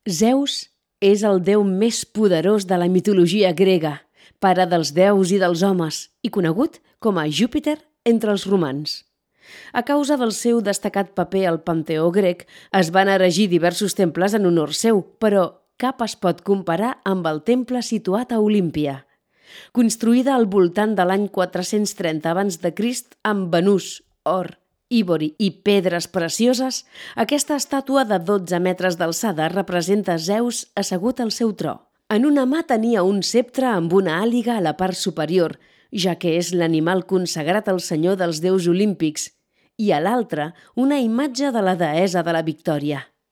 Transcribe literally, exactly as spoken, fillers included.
Zeus és el déu més poderós de la mitologia grega, pare dels déus i dels homes, i conegut com a Júpiter entre els romans. A causa del seu destacat paper al panteó grec, es van erigir diversos temples en honor seu, però cap es pot comparar amb el temple situat a Olímpia. Construïda al voltant de l'any quatre-cents trenta abans de Crist amb banús, or, ivori i pedres precioses, aquesta estàtua de dotze metres d'alçada representa Zeus assegut al seu tro. En una mà tenia un ceptre amb una àliga a la part superior, ja que és l'animal consagrat al senyor dels déus olímpics, i a l'altra una imatge de la deessa de la victòria.